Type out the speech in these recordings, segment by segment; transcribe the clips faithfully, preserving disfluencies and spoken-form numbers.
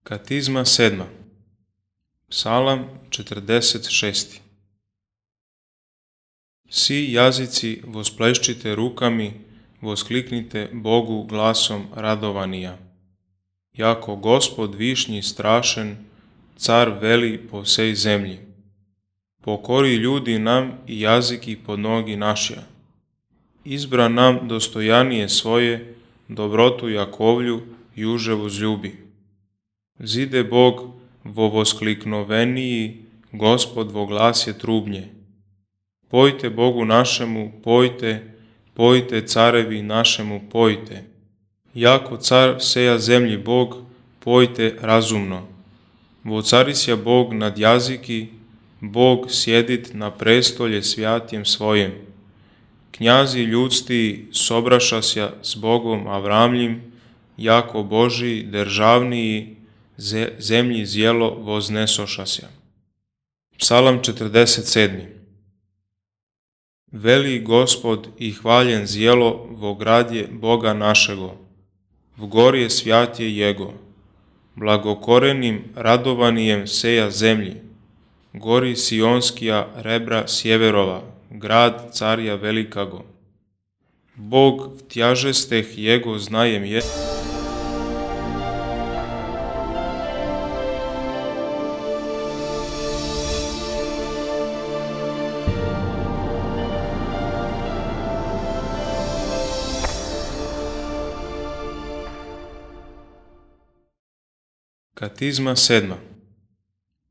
Katizma sedma. Psalam četrdeset šesti. Svi jazici vospleščite rukami, voskliknite Bogu glasom radovanija. Jako Gospod višnji strašen, car veli po vsej zemlji. Pokori ljudi nam i jaziki pod nogi našja. Izbra nam dostojanije svoje, dobrotu Jakovlju juže vzljubi. Zide Bog vo voskliknoveniji, Gospod vo glasje trubnje. Pojte Bogu našemu, pojte, pojte carevi našemu, pojte. Jako car vseja zemlji Bog, pojte razumno. Vocarisja Bog nad jaziki, Bog sjedit na prestolje svjatjem svojem. Knjazi ljudsti sobrašasja s Bogom Avramljim, jako Boži državniji, zemlji zjelo voznesošasja. Psalam četrdeset sedmi. Veli Gospod i hvaljen zjelo vo gradje Boga našego, v gorje svjatje Jego, blagokorenim radovanijem seja zemlji, gori Sionskija rebra sjeverova, grad carja velikago. Bog v tjažesteh Jego znajem je, Katizma sedma.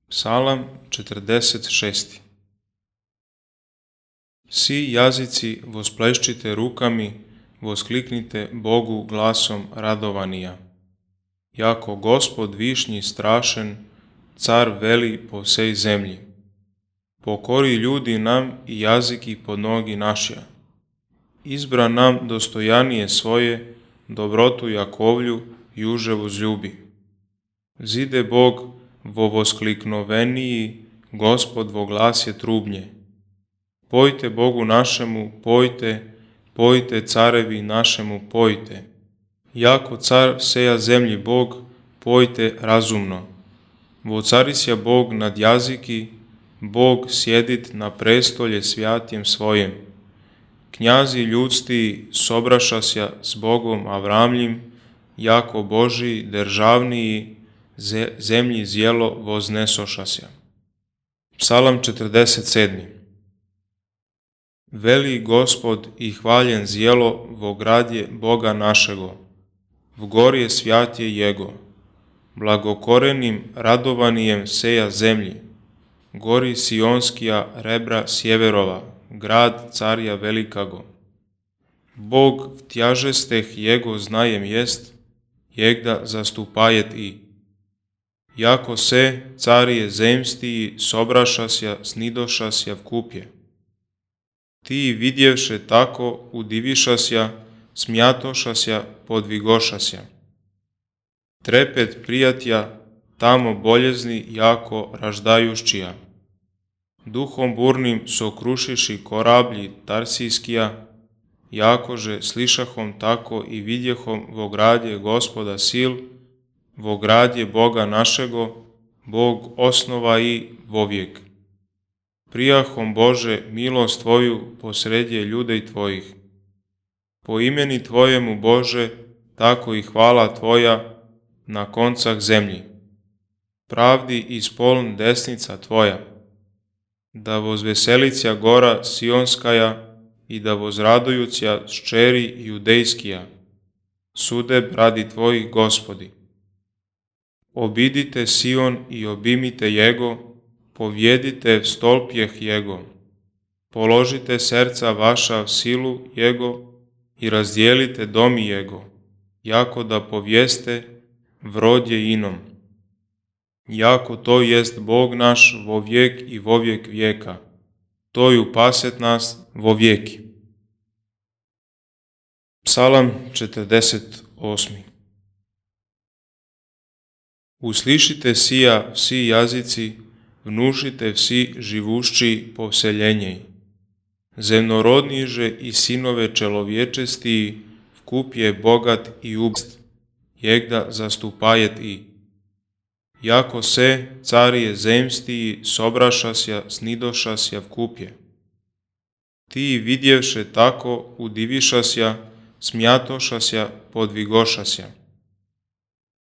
Psalam četrdeset šesti. Svi jazici vospleščite rukami, voskliknite Bogu glasom radovanija. Jako Gospod višnji strašen, car veli po vsej zemlji. Pokori ljudi nam i jaziki pod nogi našja. Izbra nam dostojanije svoje, dobrotu Jakovlju juže vzljubi. Zide Bog vo voskliknoveniji, Gospod vo glasje trubnje. Pojte Bogu našemu, pojte, pojte carevi našemu, pojte. Jako car vseja zemlji Bog, pojte razumno. Vocarisja Bog nad jaziki, Bog sjedit na prestolje svjatjem svojem. Knjazi ljudsti sobrašasja s Bogom Avramljim, jako Boži državniji, zemlji zjelo voznesošasja. Psalam četrdeset sedmi. Veli Gospod i hvaljen zjelo vo gradje Boga našego, v gorje svjatje Jego, blagokorenim radovanijem seja zemlji, gori Sionskija rebra sjeverova, grad carja velikago. Bog v tjažesteh Jego znajem jest, jegda zastupajet i. Jako se, carije zemstiji, sobrašasja, snidošasja v kupje. Ti vidjevše tako, udivišasja, smjatošasja, podvigošasja. Trepet prijatja, tamo boljezni jako raždajuščija. Duhom burnim sokrušiši korablji tarsijskija, jakože slišahom tako i vidjehom vo gradje Gospoda sil, vo gradje Boga našego, Bog osnova i vovijek. Prijahom Bože milost Tvoju posredje ljudej Tvojih. Po imeni Tvojemu Bože, tako i hvala Tvoja na koncah zemlji. Pravdi ispoln desnica Tvoja. Da vozveselicja gora Sionskaja i da vozradujuća ščeri judejskija. Sude radi Tvojih Gospodi. Obidite Sion i obimite Jego, povjedite v stolpjeh Jego. Položite serca vaša v silu Jego i razdijelite domi Jego, jako da povijeste vrodje inom. Jako to jest Bog naš vo vijek i vo vijek vijeka, to ju paset nas vo vijeki. Psalam četrdeset osmi. Uslišite sija vsi jazici, vnušite vsi živušći po vseljenjej. Zemnorodniže i sinove čelovječestiji, vkup je bogat i ubst, jegda zastupajet i. jako se carije zemstiji sobrašasja, snidošasja v kupje. Ti vidjevše tako udivišasja, smjatošasja, podvigošasja.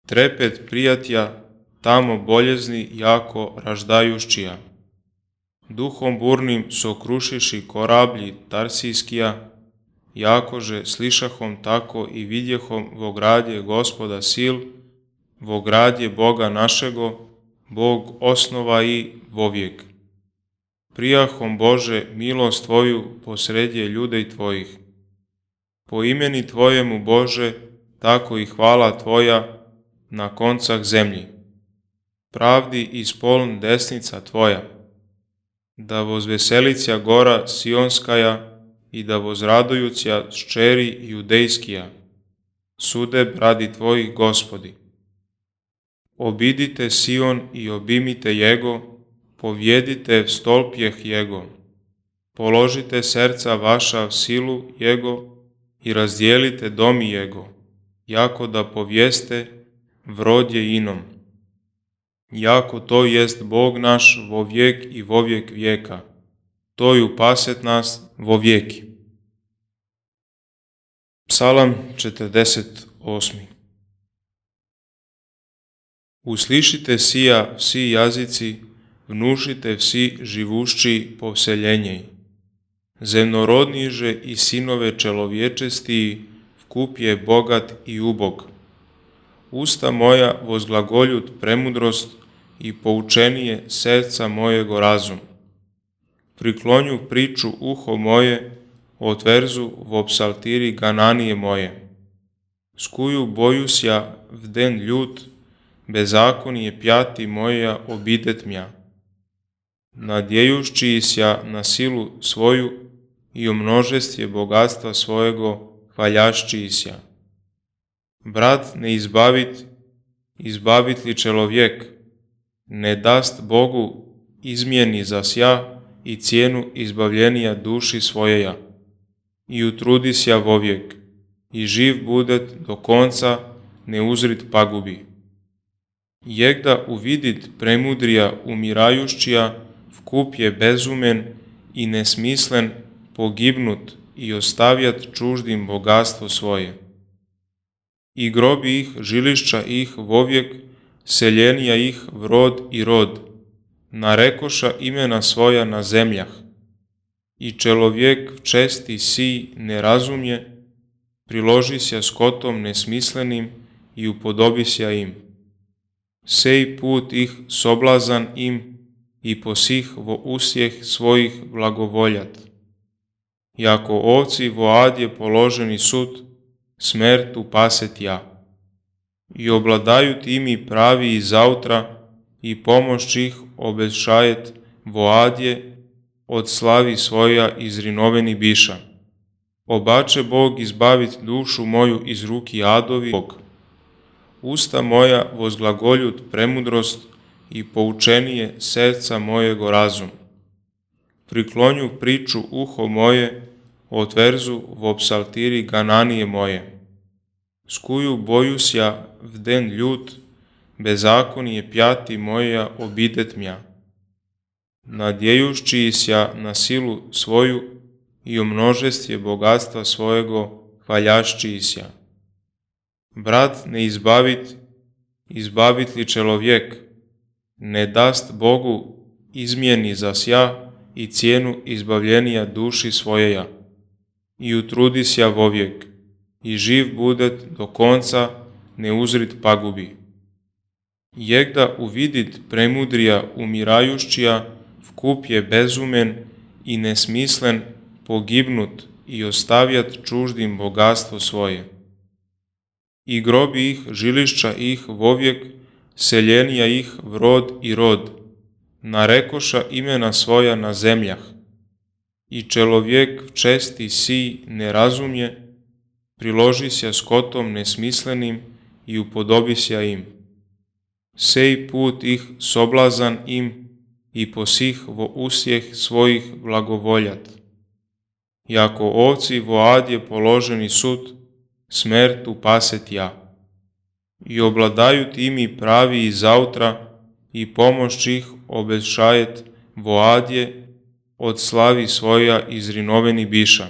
Trepet prijatja, tamo boljezni jako raždajuščija. Duhom burnim sokrušiši korablji Tarsijskija, jakože slišahom tako i vidjehom vo gradje Gospoda sil, vo gradje Boga našego, Bog osnova i vovijek. Prijahom Bože milost Tvoju posredje ljudej Tvojih. Po imeni Tvojemu Bože, tako i hvala Tvoja na koncah zemlji. Pravdi ispoln desnica Tvoja, da vozveselića gora Sionskaja i da vozradujuća ščeri Judejskija, sude radi Tvojih Gospodi. Obidite Sion i obimite Jego, povjedite stolpjeh Jego, položite serca vaša v silu Jego i razdijelite domi Jego, jako da povijeste vrodje inom. Jako to jest Bog naš vo vijek i vo vijek vijeka, to ju paset nas vo vijeki. Psalam četrdeset osmi. Uslišite sija vsi jazici, vnušite vsi živušći povseljenjej. Zemnorodniže i sinove čelovječestiji, vkup je bogat i ubog. Usta moja vozglagoljut premudrost i poučenije srca mojego razum. Priklonju priču uho moje, otverzu vo psaltiri gananije moje. Skuju bojusja v den ljut, bezakonije pjati moja obidet mja. Nadjejušći sja na silu svoju i o množestje bogatstva svojego hvaljašći sja. Brat ne izbavit, izbavit li čelovjek, ne dast Bogu izmjeni za sja i cijenu izbavljenija duši svojeja. I utrudi sja vovijek, i živ budet do konca, ne uzrit pagubi. Jegda uvidit premudrija umirajušćija, vkup je bezumen i nesmislen pogibnut i ostavjat čuždim bogatstvo svoje. I grobi ih, žilišća ih vovijek, seljenija ih vrod i rod, narekoša imena svoja na zemljah. I čelovjek v česti si ne razumje, priloži sja skotom nesmislenim i upodobi sja im. Sej put ih soblazan im i posih vo usjeh svojih blagovoljat. Jako ovci vo adje položeni sud, smertu paset ja. I obladaju timi pravi i zautra i pomoć ih obešajet vo adje od slavi svoja izrinoveni biša. Obače Bog izbavit dušu moju iz ruki adovi Bog. Usta moja vozglagoljut premudrost i poučenije srca mojego razum. Priklonju priču uho moje, otverzu vo psaltiri gananije moje. Skuju bojusja v den ljut, bezakonije pjati moja obidet mja. Nadjejušći sja na silu svoju i o množestje bogatstva svojego hvaljašći sja. Brat ne izbavit, izbavit li čelovjek, ne dast Bogu izmjeni za sja i cijenu izbavljenija duši svojeja. I utrudi sja vovijek, i živ budet do konca, ne uzrit pagubi. Jegda uvidit premudrija umirajušćija, vkup je bezumen i nesmislen pogibnut i ostavjat čuždim bogatstvo svoje. I grobi ih, žilišća ih vovijek, seljenija ih vrod i rod, narekoša imena svoja na zemljah. I čelovjek v česti si ne razumje, priloži sja skotom nesmislenim i upodobi sja im. Sej put ih soblazan im i posih vo usjeh svojih blagovoljat. Jako ovci vo adje položeni sud, smertu paset ja. I obladaju timi pravi i zautra i pomoć ih obešajet voadje od slavi svoja izrinoveni biša.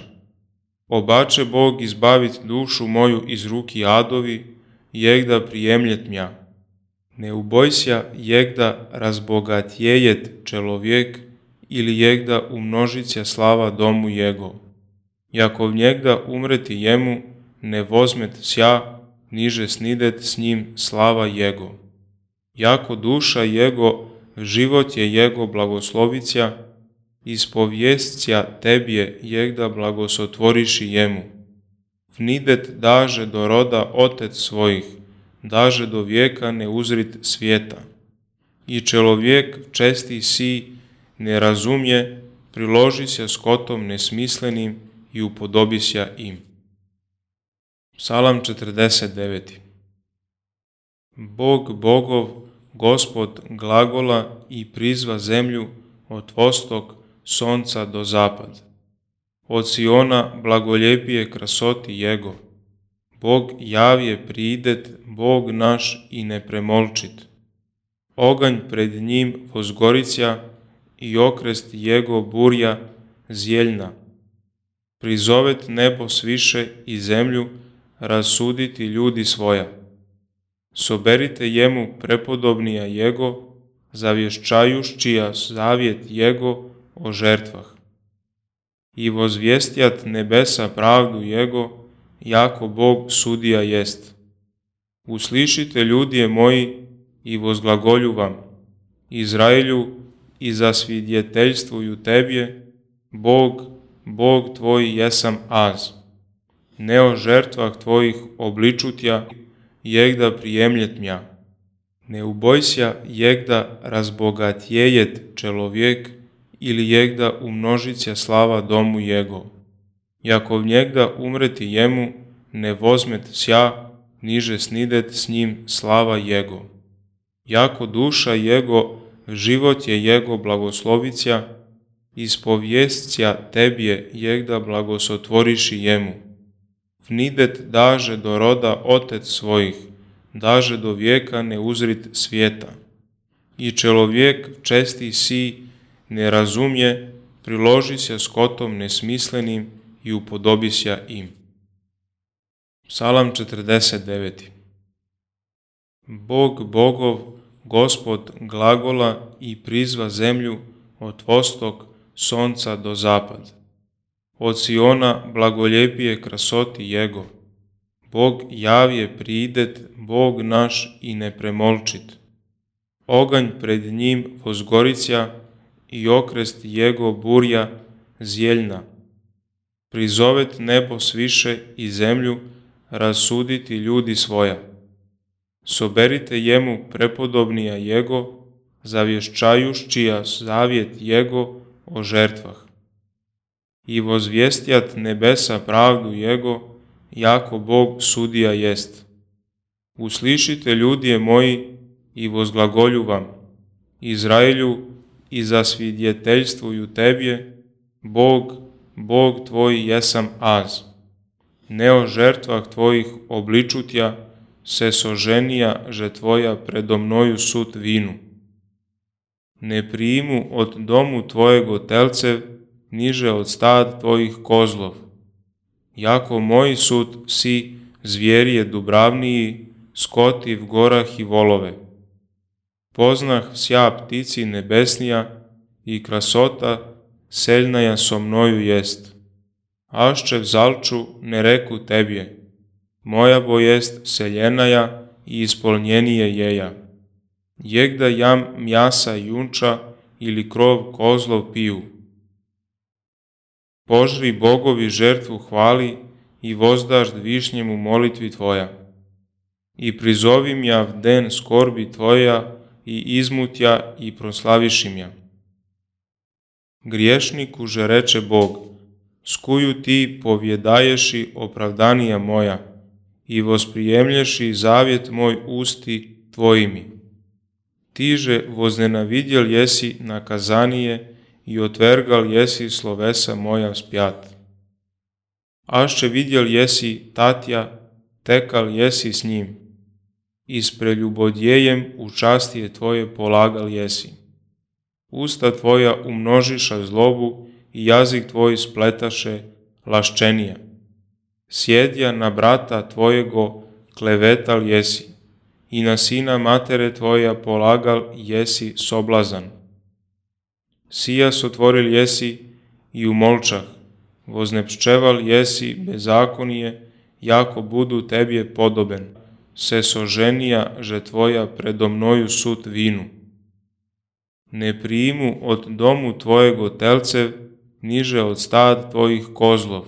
Obače Bog izbavit dušu moju iz ruki adovi, jegda prijemljet mja. Ne ubojsja jegda razbogatjejet čelovjek ili jegda umnožića slava domu jego. Jakov njegda umreti jemu, ne vozmet sja, niže snidet s njim slava jego. Jako duša jego, život je jego blagoslovića, ispovjesća tebje jegda blagosotvoriši jemu. Vnidet daže do roda otec svojih, daže do vijeka ne uzrit svijeta. I čelovjek česti si, ne razumje, priloži se skotom nesmislenim i upodobisja im. Psalam četrdeset deveti. Bog bogov, Gospod glagola i prizva zemlju od vostok sonca do zapad. Od Siona blagoljepije krasoti jego. Bog javje pridet, Bog naš i ne premolčit. Oganj pred njim vozgorića i okrest jego burja zjeljna. Prizovet nebo sviše i zemlju, rasuditi ljudi svoja. Soberite jemu prepodobnija jego, zavješčajušćija zavjet jego o žertvah. I vozvjestjat nebesa pravdu jego, jako Bog sudija jest. Uslišite ljudje moji i vozglagolju vam, Izraelju, i zasvidjeteljstvuju tebje, Bog, Bog tvoj jesam az. Ne o žertvah tvojih obličutja, jegda prijemljet mja. Ne ubojsja jegda razbogatjejet čelovjek ili jegda umnožića slava domu jego. Jakov njegda umreti jemu, ne vozmet sja, niže snidet s njim slava jego. Jako duša jego, život je jego blagoslovića, ispovjesća tebje jegda blagosotvoriši jemu. Vnidet daže do roda otec svojih, daže do vijeka ne uzrit svijeta. I čelovjek česti si, ne razumje, priloži se skotom nesmislenim i upodobisja im. Psalam četrdeset deveti. Bog bogov, Gospod glagola i prizva zemlju od vostok sonca do zapad. Od Siona blagoljepije krasoti jego. Bog javje pridet, Bog naš i ne premolčit. Oganj pred njim vozgorića i okrest jego burja zjeljna. Prizovet nebo sviše i zemlju, rasuditi ljudi svoja. Soberite jemu prepodobnija jego, zavješčajušćija zavjet jego o žertvah. I vozvjestjat nebesa pravdu jego, jako Bog sudija jest. Uslišite ljudje moji i vozglagolju vam, Izraelju, i zasvidjeteljstvuju tebje, Bog, Bog tvoj jesam az. Ne o žertvah tvojih obličutja, se soženija že tvoja predo mnoju sut vinu. Ne prijimu od domu tvojego telcev, niže od stad tvojih kozlov. Jako moji sud si, zvjerije dubravniji, skoti v gorah i volove. Poznah vsja ptici nebesnija i krasota seljnaja so mnoju jest. Ašče vzalču ne reku tebje, moja bo jest seljenaja i ispolnjenije jeja. Jegda jam mjasa junča ili krov kozlov piju. Požri bogovi žertvu hvali i vozdažd višnjemu molitvi tvoja. I prizovim ja v den skorbi tvoja i izmutja i proslavišim ja. Griješniku že reče Bog, skuju ti povjedaješi opravdanija moja i vosprijemlješi zavjet moj usti tvojimi. Tiže voznenavidjel jesi nakazanije i otvergal jesi slovesa moja vspjat. Ašće vidjel jesi tatja, tekal jesi s njim. i s preljubodjejem u častije tvoje polagal jesi. Usta tvoja umnožiša zlobu i jazik tvoj spletaše laščenija. Sjedja na brata tvojego klevetal jesi i na sina matere tvoja polagal jesi soblazan. Sijas otvoril jesi i umolčah, voznepščeval jesi bezakonije, jako budu tebje podoben, se soženija, že tvoja predo mnoju sud vinu. Ne prijimu od domu tvojego telcev, niže od stad tvojih kozlov.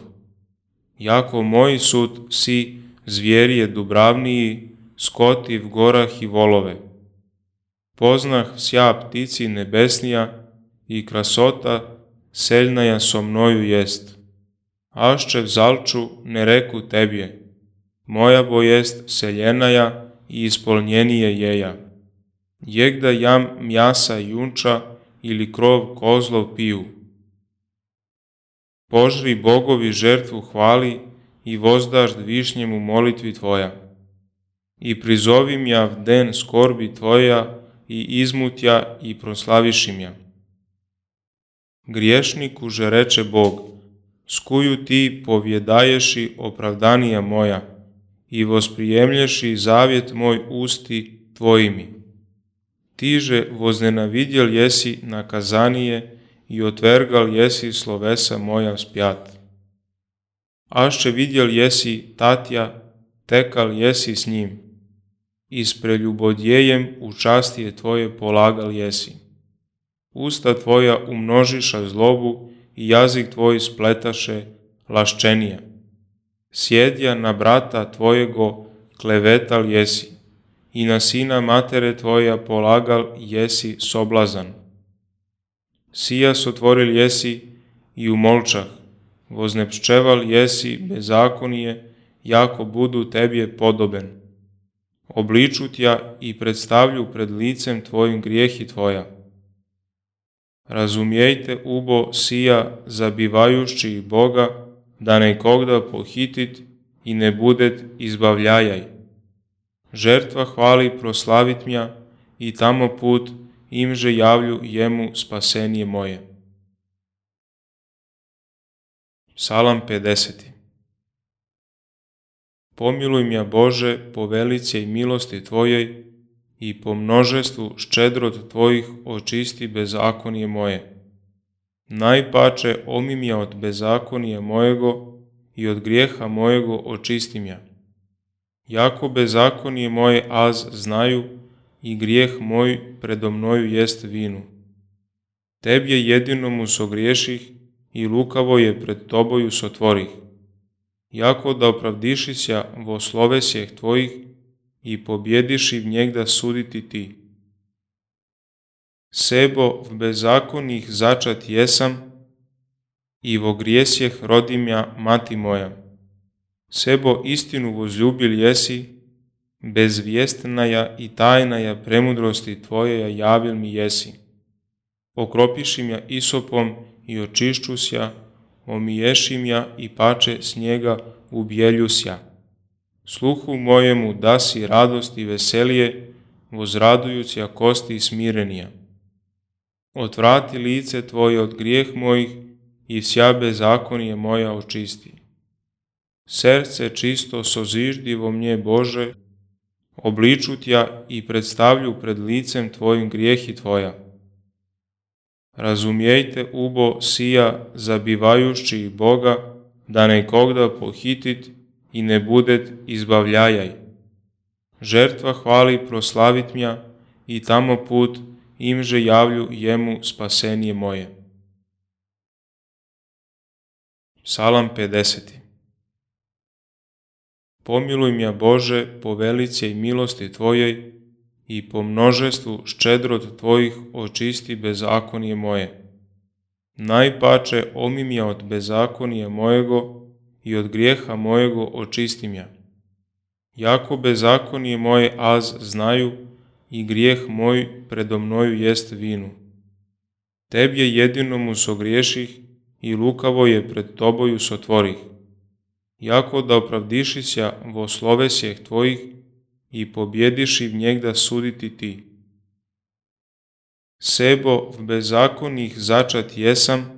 Jako moj sud si zvjerije dubravniji, skoti v gorah i volove. Poznah vsja ptici nebesnija i krasota seljnaja so mnoju jest. Ašče vzalču ne reku tebje, moja bo jest seljenaja i ispolnjenije jeja. Jegda jam mjasa junča ili krov kozlov piju. Požri bogovi žertvu hvali i vozdažd višnjemu molitvi tvoja. I prizovim ja v den skorbi tvoja i izmutja i proslavišim ja. Griješniku že reče Bog, skuju ti povjedaješi opravdanija moja i vosprijemlješi zavjet moj usti tvojimi. Tiže voznenavidjel jesi nakazanije i otvergal jesi slovesa moja vspjat. Ašće vidjel jesi tatja, tekal jesi s njim, i s preljubodjejem u častije tvoje polagal jesi. Usta tvoja umnožiša zlobu i jazik tvoj spletaše laščenija. Sjedja na brata tvojego klevetal jesi i na sina matere tvoja polagal jesi soblazan. Sijas otvoril jesi i umolčah, voznepščeval jesi bezakonije, jako budu tebje podoben. Obliču tja i predstavlju pred licem tvojim grijehi tvoja. Razumijejte ubo sija zabivajušći Boga, da nekogda pohitit i ne budet izbavljajaj. Žertva hvali proslavit mja i tamo put imže javlju jemu spasenje moje. Psalam pedeseti. Pomiluj mja Bože po velice i milosti tvojej i po množestvu ščedrot tvojih očisti bezakonije moje. Najpače omim ja od bezakonija mojego i od grijeha mojego očistim ja. Jako bezakonije moje az znaju i grijeh moj predo mnoju jest vinu. Tebje jedinomu sogriješih i lukavo je pred toboju sotvorih. Jako da opravdišisja vo slovesjeh tvojih i pobjediši v njegda suditi ti. Sebo v bezakonih začat jesam i vo grijesjeh rodim ja mati moja. Sebo istinu vozljubil jesi, bezvjestnaja i tajnaja premudrosti tvojeja javil mi jesi. Okropišim ja isopom i očišćusja, omiješim ja i pače snijega ubjeljusja. Sluhu mojemu dasi radost i veselije, vozradujuća kosti smirenija. Otvrati lice tvoje od grijeh mojih i vsja bezakonije moja očisti. Srce čisto soziždi vo mnje Bože, obliču tja i predstavlju pred licem tvojim grijehi tvoja. Razumijejte ubo sija zabivajušći Boga, da nekogda pohitit i ne budet izbavljajaj. Žertva hvali proslavit mja i tamo put imže javlju jemu spasenje moje. Psalam pedeseti. Pomiluj mja Bože po velice i milosti tvojej i po množestvu ščedrot tvojih očisti bezakonije moje. Najpače omim ja od bezakonija mojego i od grijeha mojego očistim ja. Jako bezakonije moje az znaju i grijeh moj predo mnoju jest vinu. Tebje jedinomu sogriješih i lukavo je pred toboju sotvorih. Jako da opravdišisja vo slovesjeh tvojih i pobjediši v njegda suditi ti. Sebo v bezakonih začat jesam,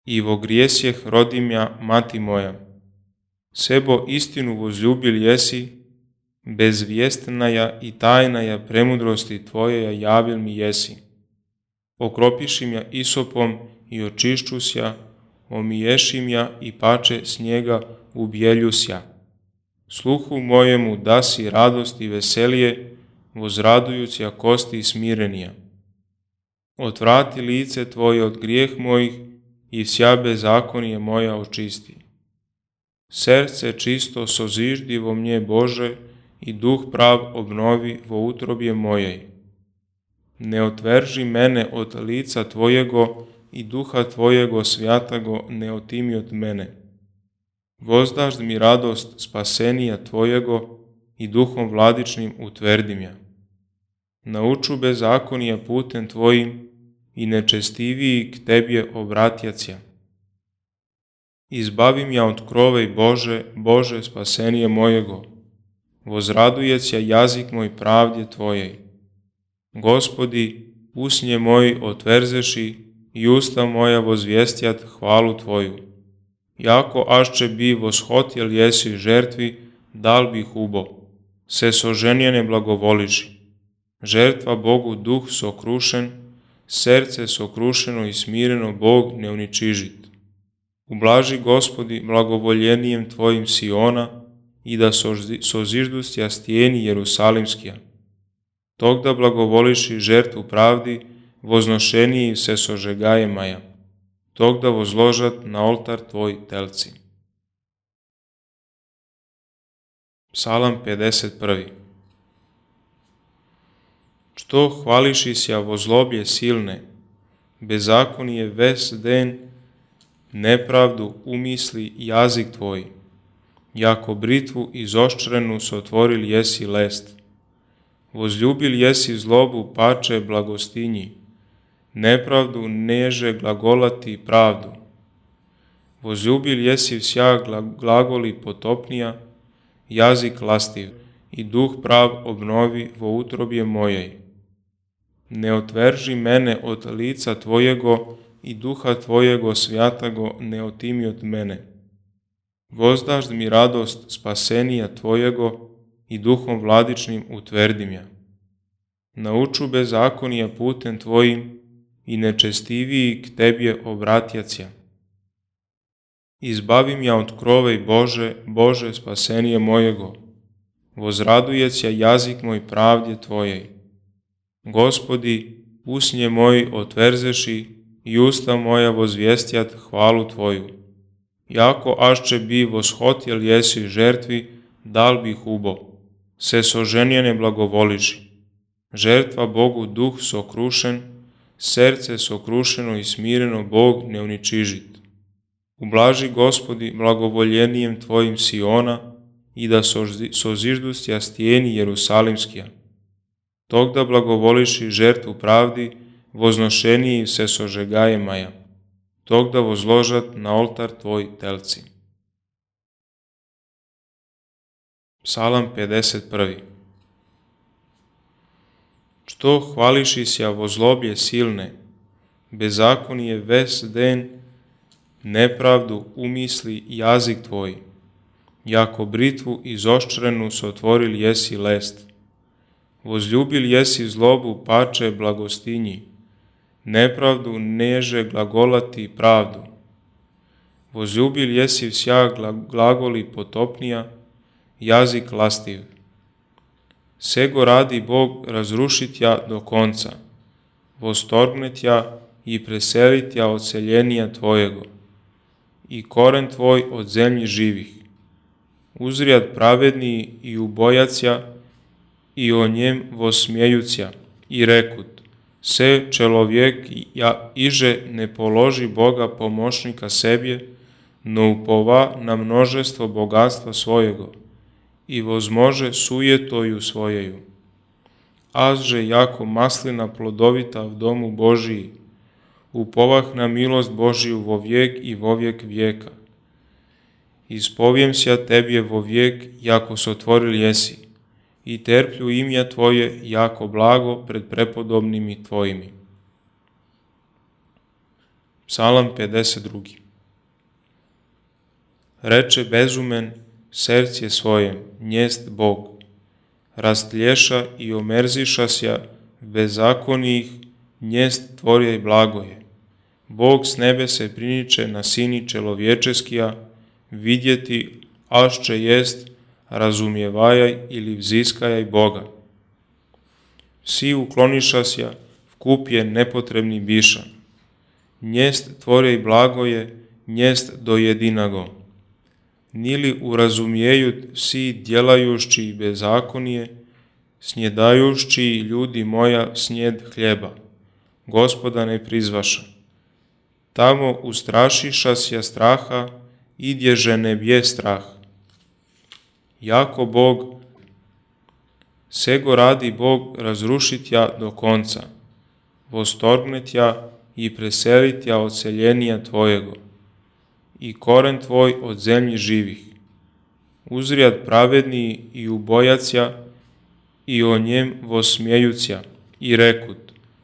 i vo grijesjeh rodimja mati moja. Sebo istinu vozljubil jesi, bezvjestnaja i tajnaja premudrosti tvojeja javil mi jesi. Okropišim ja isopom i očišćusja, omiješim ja i pače snijega ubjeljusja. Sluhu mojemu dasi radost i veselije, vozradujuća kosti smirenija. Otvrati lice tvoje od grijeh mojih i vsja bezakonije moja očisti. Srce čisto soziždi vo mnje Bože i duh prav obnovi vo utrobje mojej. Ne otverži mene od lica tvojego i duha tvojego svjatago ne otimi od mene. Vozdaš mi radost spasenija tvojego i duhom vladičnim utvrdim ja. Nauču bezakonija putem tvojim i nečestiviji k tebje obratjacija. Izbavim ja od krovej Bože, Bože spasenije mojego. Vozradujeća jazik moj pravdje tvojej. Gospodi, usnje moji otverzeši i usta moja vozvjestjat hvalu tvoju. Jako ašće bi voshotjel jesi žertvi, dal bih ubo. Se soženjene blagovoliši. Žertva Bogu duh sokrušen, srce sokrušeno i smireno Bog ne uničižit. Ublaži Gospodi blagovoljenijem tvojim Siona i da soziždustja stijeni Jerusalimskija. Tog da blagovoliši žertvu pravdi, voznošeniji se sožegaje maja. Tog da vozložat na oltar tvoj telci. Psalam pedeset prvi. Što hvališi sja vozlobje silne, bezakonije ves den, nepravdu umisli jazik tvoj, jako britvu izoščrenu sotvoril jesi lest. Vozljubil jesi zlobu pače blagostinji, nepravdu neže glagolati pravdu. Vozljubil jesi vsja glagoli potopnija, jazik lastiv i duh prav obnovi vo utrobje mojej. Ne otverži mene od lica tvojego i duha tvojego svjatago ne otimi od mene. Vozdaš mi radost spasenija tvojego i duhom vladičnim utvrdim ja. Nauču bezakonija putem tvojim i nečestiviji k tebje obratjacija. Izbavim ja od krovej Bože, Bože spasenije mojego. Vozradujeća jazik moj pravdje tvojej. Gospodi, usnje moji otverzeši i usta moja vozvjestjat hvalu tvoju. Jako ašće bi voshotjel jesi žertvi, dal bih ubo. Se soženjene blagovoliši. Žertva Bogu duh sokrušen, srce sokrušeno i smireno Bog ne uničižit. Ublaži Gospodi blagovoljenijem tvojim Siona i da soziždustja stijeni Jerusalimskija. Tog da blagovoliši žertvu pravdi, voznošeniji se sožegaje maja. Tog da vozložat na oltar tvoj telci. Psalam pedeset prvi. Što hvališi sja vozlobje silne, bezakonije ves den, nepravdu umisli jazik tvoj, jako britvu izoščrenu sotvoril jesi lest. Vozljubil jesi zlobu pače blagostinji, nepravdu neže glagolati pravdu. Vozljubil jesi vsja glagoli potopnija, jazik lastiv. Sego radi Bog razrušit ja do konca, vostorgnet ja i preselit ja od seljenija tvojego, i koren tvoj od zemlji živih. Uzrijad pravedniji i ubojacija, i o njem vosmjejucija, i rekut, se čelovjek ja iže ne položi Boga pomoćnika sebje, no upova na množestvo bogatstva svojego, i vozmože sujetoju svojeju. Azže jako maslina plodovita v domu Božiji, upovah na milost Božiju vo vijek i vo vijek vijeka. Ispovijem sja tebje vo vijek, jako sotvoril jesi, i terplju imja Tvoje jako blago pred prepodobnimi Tvojimi. Psalam pedeset drugi. Reče bezumen sercije svojem, njest Bog, rastlješa i omerzišasja bezakonijih, njest Tvorje blagoje. Bog s nebe se priniče na sini čelovječeskija, vidjeti ašće jest, razumijevajaj ili vziskajaj Boga. Vsi uklonišasja, vkup je nepotrebni biša. Njest Tvorje blagoje, njest do jedinago. Nili urazumijeju vsi djelajušći bezakonije, snjedajušći ljudi moja snjed hljeba. Gospoda ne prizvaša. Tamo ustrašišasja straha, idježe ne bje strah. Jako Bog, sego radi Bog razrušit ja do konca, vostorgnet ja i preselit ja od seljenija Tvojego, i koren Tvoj od zemlji živih. Uzrijad pravedniji i ubojacija, i o njem vosmijejucija, i rekut,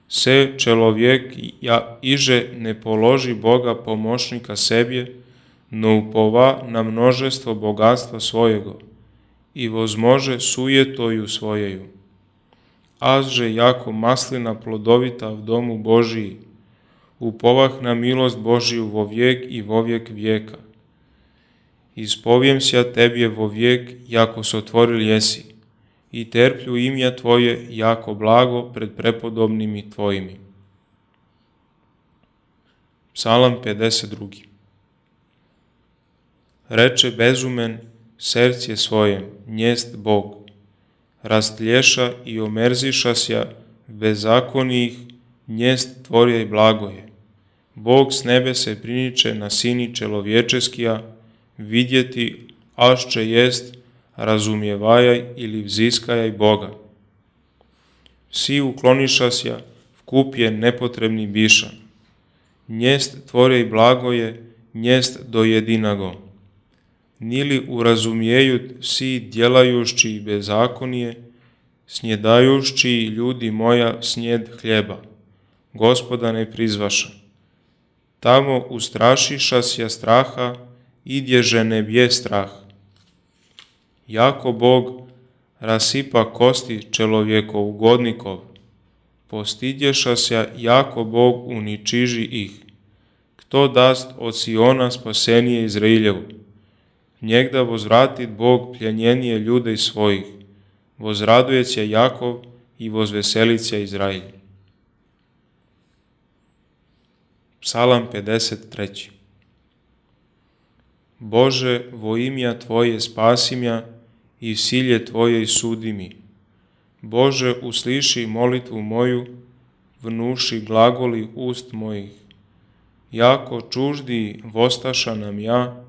se čelovjek ja iže ne položi Boga pomoćnika sebje, no upova na množestvo bogatstva svojego, i vozmože sujetoju svojeju. Azže jako maslina plodovita v domu Božiji, upovah na milost Božiju vo vijek i vo vijek vijeka. Ispovijem sja Tebje vo vijek, jako se otvoril jesi, i terplju imja Tvoje jako blago pred prepodobnimi Tvojimi. Psalam pedeset drugi. Reče bezumen sercije svojem, njest Bog, rastlješa i omerzišasja bezakonijih, njest Tvorje blagoje. Bog s nebe se priniče na sini čelovječeskija, vidjeti ašće jest, razumijevajaj ili vziskajaj Boga. Vsi uklonišasja, vkup je nepotrebni biša. Njest Tvorje blagoje, njest do jedinago. Nili urazumijeju vsi djelajušći bezakonije, snjedajušći ljudi moja snjed hljeba. Gospoda ne prizvaša. Tamo ustrašišasja straha, idježe ne bje strah. Jako Bog rasipa kosti čelovjekov ugodnikov, postidješasja jako Bog uničiži ih. Kto dast od Siona spasenije Izrailjevu? Njegda vozvratit Bog pljenjenije ljude svojih, vozradujec je Jakov i vozveselic je Izrail. Psalam pedeset treći. Bože, vo imja Tvoje spasim ja i v silje Tvoje sudi mi. Bože, usliši molitvu moju, vnuši glagoli ust mojih. Jako čuždi vostaša nam ja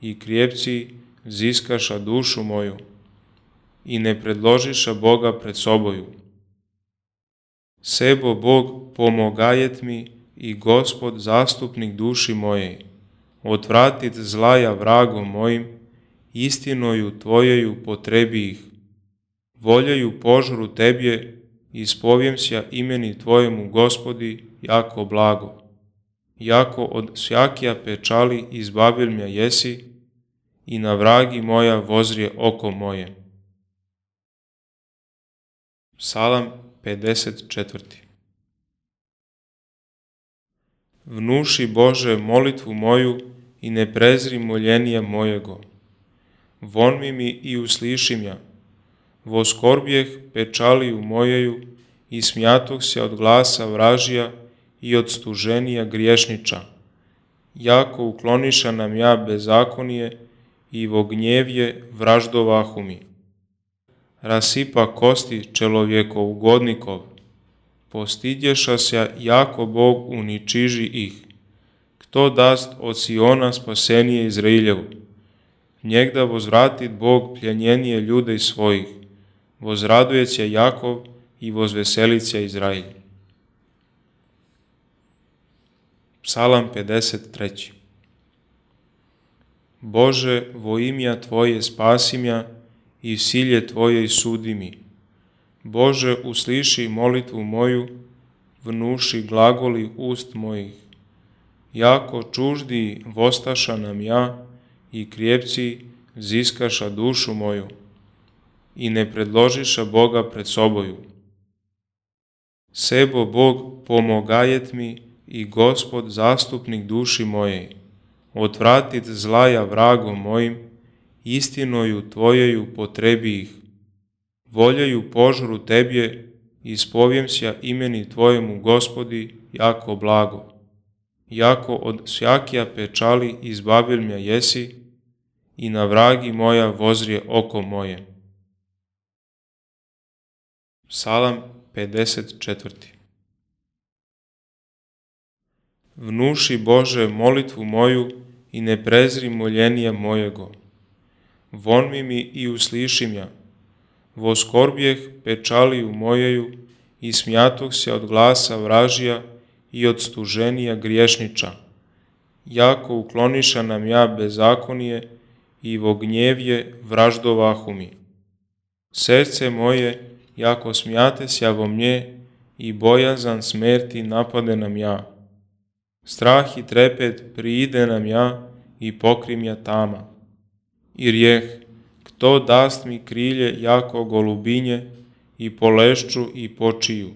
i krijepci ziskaša dušu moju i ne predložiša Boga pred soboju. Sebo Bog pomogajet mi i Gospod zastupnik duši moje, odvratit zlaja vragom mojim, istinoju Tvojeju potrebi ih. Voljeju požru Tebje, ispovijem sja imeni Tvojemu Gospodi, jako blago. Jako od svjakija pečali izbavil mja jesi, i na vragi moja vozrije oko moje. Psalam pedeset četvrti. Vnuši Bože molitvu moju i ne prezri moljenija mojego. Vonmi mi i uslišim ja. Voskorbjeh pečaliju mojeju i smjatoh se od glasa vražija i od stuženija griješniča. Jako ukloniša nam ja bezakonije i vo gnjevje vraždovahu mi. Rasipa kosti čelovjekov ugodnikov, postidješa se jako Bog uničiži ih. Kto dast od Siona spasenije Izrailjevu? Njegda vozvratit Bog pljenjenije ljude svojih, vozradujec je Jakov i vozveselic je Izrail. Psalam pedeset treći. Bože, vo imja Tvoje spasim ja i v silje Tvoje sudi mi. Bože, usliši molitvu moju, vnuši glagoli ust mojih. Jako čuždi vostaša nam ja i krijepci vziskaša dušu moju i ne predložiša Boga pred soboju. Sebo Bog pomogajet mi i Gospod zastupnik duši moje, odvratit zlaja vragom mojim, istinoju Tvojeju potrebi ih. Voljeju požru Tebje, ispovijem sja imeni Tvojemu, Gospodi, jako blago. Jako od svjakija pečali izbavil mja jesi i na vragi moja vozrije oko moje. Psalam pedeset četvrti. Vnuši Bože molitvu moju i ne prezri moljenija mojego. Vonmi mi i usliši mja. Voskorbjeh pečaliju mojeju i smjatoh se od glasa vražija i od stuženija griješniča. Jako ukloniša nam ja bezakonije i vo gnjevje vraždovahu mi. Srce moje, jako smijate sja vo mnje i bojazan smrti napade nam ja. Strah i trepet priide nam ja i pokrim ja tama. I rijeh, kto dast mi krilje jako golubinje i polešću i počiju.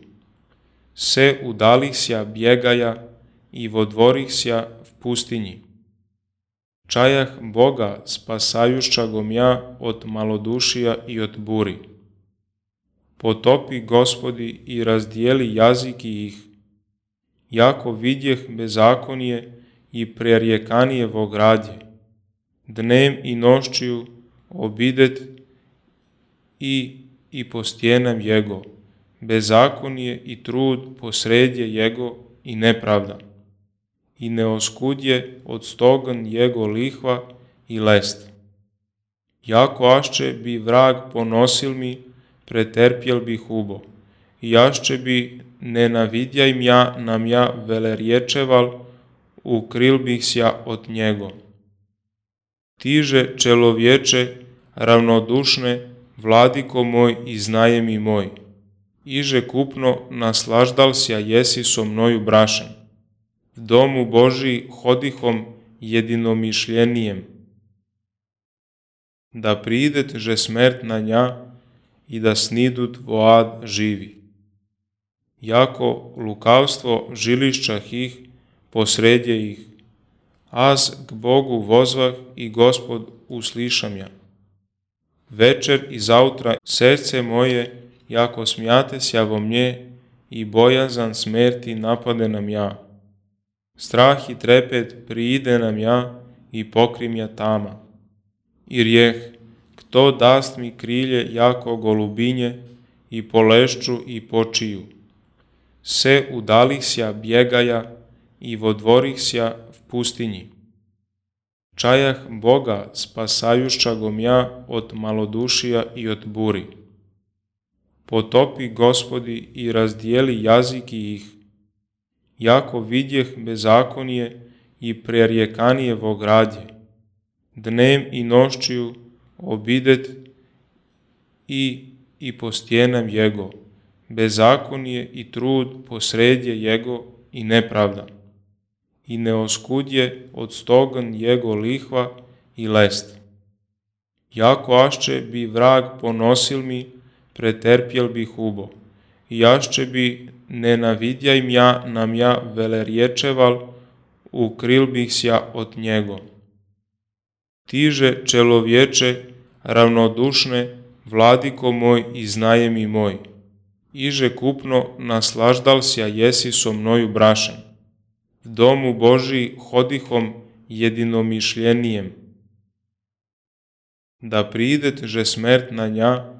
Se udalih sja bjegaja i vodvorih sja v pustinji. Čajah Boga spasajušća gom ja od malodušija i od buri. Potopi, Gospodi, i razdijeli jaziki ih. Jako vidjeh bezakonije i prerjekanije vo gradje. Dnem i nošćiju obidet i i po stjenam jego. Bezakonije i trud posredje jego i nepravda. I ne oskudje od stogan jego lihva i lest. Jako ašće bi vrag ponosil mi, preterpjel bih ubo. I ašće bi nenavidjaj mja nam ja velerječeval, ukril bih sja od njego. Tiže čelovječe, ravnodušne, vladiko moj i znaje mi moj. Iže kupno naslaždal sja jesi so mnoju brašem. V domu Božiji hodihom jedinomišljenijem. Da pridet že smrt na nja i da snidut voad živi. Jako lukavstvo žilišćah ih, posredje ih. Az k Bogu vozvah i Gospod uslišam ja. Večer i zautra srce moje, jako smijate sja vo mnje i bojazan smrti napade nam ja. Strah i trepet priide nam ja i pokrim ja tama. I rijeh, kto dast mi krilje jako golubinje i polešću i počiju. Se udalih sja bjegaja i vodvorih sja v pustinji. Čajah Boga spasajušća gom ja od malodušija i od buri. Potopi, Gospodi, i razdijeli jaziki ih. Jako vidjeh bezakonije i prerjekanije vo gradje. Dnem i nošćiju obidet i i po stjenam jego. Bezakonije i trud posredje jego i nepravda. I ne oskudje od stogan jego lihva i lest. Jako ašće bi vrag ponosil mi, preterpjel bih ubo. I ašće bi nenavidjaj mja nam ja velerječeval, ukril bih sja od njego. Tiže čelovječe, ravnodušne, vladiko moj i znaje mi moj. Iže kupno naslaždal sja jesi so mnoju brašem. V domu Božiji hodihom jedinomišljenijem. Da pridet že smrt na nja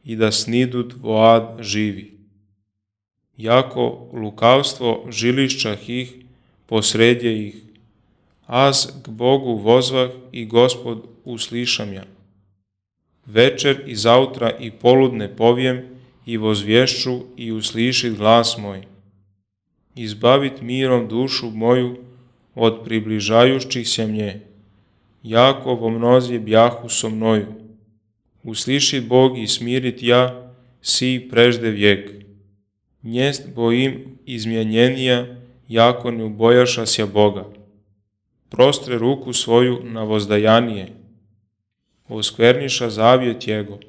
i da snidut voad živi. Jako lukavstvo žilišćah ih, posredje ih. Az k Bogu vozvah i Gospod uslišam ja. Večer i zautra i poludne povijem i vozvješću i uslišit glas moj. Izbavit mirom dušu moju od približajućih se mnje. Jako vo mnozje bjahu so mnoju. Uslišit Bog i smirit ja si prežde vijek. Njest bojim izmjenjenija, jako ne ubojašasja Boga. Prostre ruku svoju na vozdajanije, oskverniša zavjet Jego,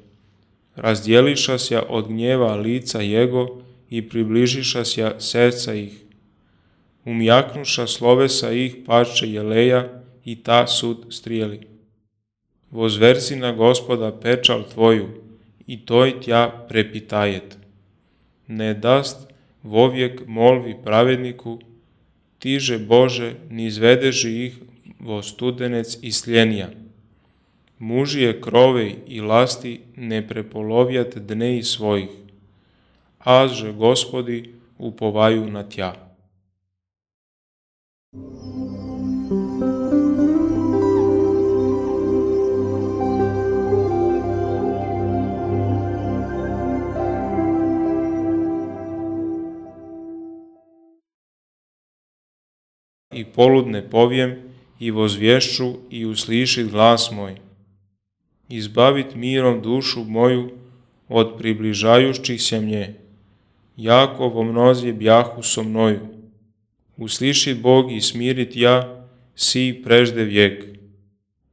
razdjelišasja od gnjeva lica Jego i približišasja srca ih. Umjaknuša slovesa ih pašće jeleja i ta sud strijeli. Vozversi na Gospoda pečal tvoju i toj tja prepitajet. Ne dast vovijek molvi pravedniku, tiže Bože ni izvedeži ih vo studenec i sljenija. Mužije krovej i lasti ne prepolovjat dneji svojih, azže Gospodi upovaju na tja. I poludne povijem i vozvješću i uslišit glas moj. Izbavit mirom dušu moju od približajućih se mnje. Jako vo mnozije bjahu so mnoju. Uslišit Bog i smirit ja, si prežde vijek.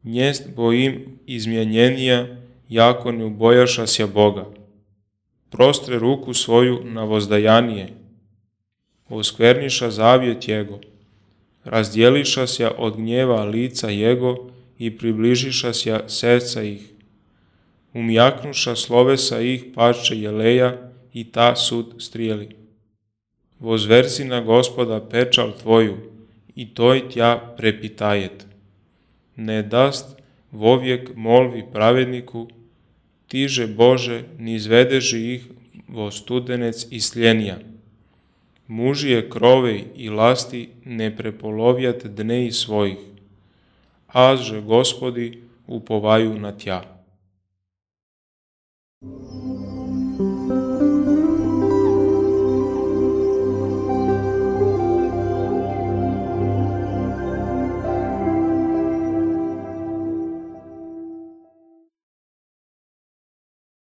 Njest bojim izmjenjenija, jako ne ubojašasja Boga. Prostre ruku svoju na vozdajanije, oskverniša zavjet Jego, razdjelišasja od gnjeva lica Jego i približišasja srca ih. Umjaknuša slovesa ih pašće jeleja i ta sud strijeli. Vozversi na Gospoda pečal tvoju i toj tja prepitajet. Ne dast vovijek molvi pravedniku, tiže Bože ni izvedeži ih vo studenec i sljenija. Mužije krovej i lasti ne prepolovjat dneji svojih, azže Gospodi upovaju na tja.